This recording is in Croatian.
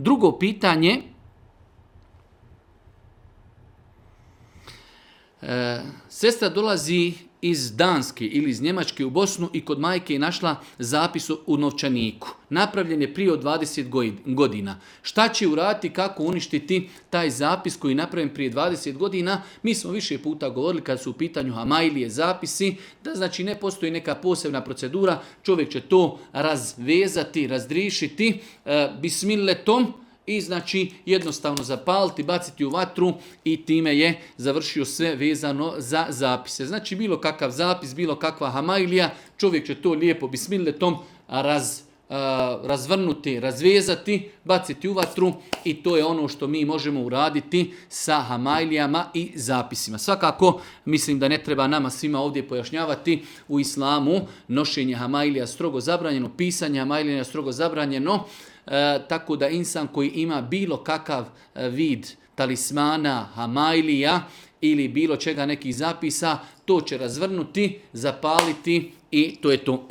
Drugo pitanje, sestra dolazi iz Danske ili iz Njemačke u Bosnu i kod majke je našla zapis u novčaniku. Napravljen je prije od 20 godina. Šta će uraditi, kako uništiti taj zapis koji je napravljen prije 20 godina? Mi smo više puta govorili kad su u pitanju hamajlije zapisi, da znači ne postoji neka posebna procedura, čovjek će to razvezati, razdrišiti bismilletom, i znači jednostavno zapaliti, baciti u vatru i time je završio sve vezano za zapise. Znači bilo kakav zapis, bilo kakva hamajlija, čovjek će to lijepo bismilletom razvrnuti, razvezati, baciti u vatru i to je ono što mi možemo uraditi sa hamajlijama i zapisima. Svakako mislim da ne treba nama svima ovdje pojašnjavati, u islamu nošenje hamajlija strogo zabranjeno, pisanje hamajlija strogo zabranjeno, tako da insan koji ima bilo kakav vid talismana, hamajlija ili bilo čega nekih zapisa, to će razvrnuti, zapaliti i to je to.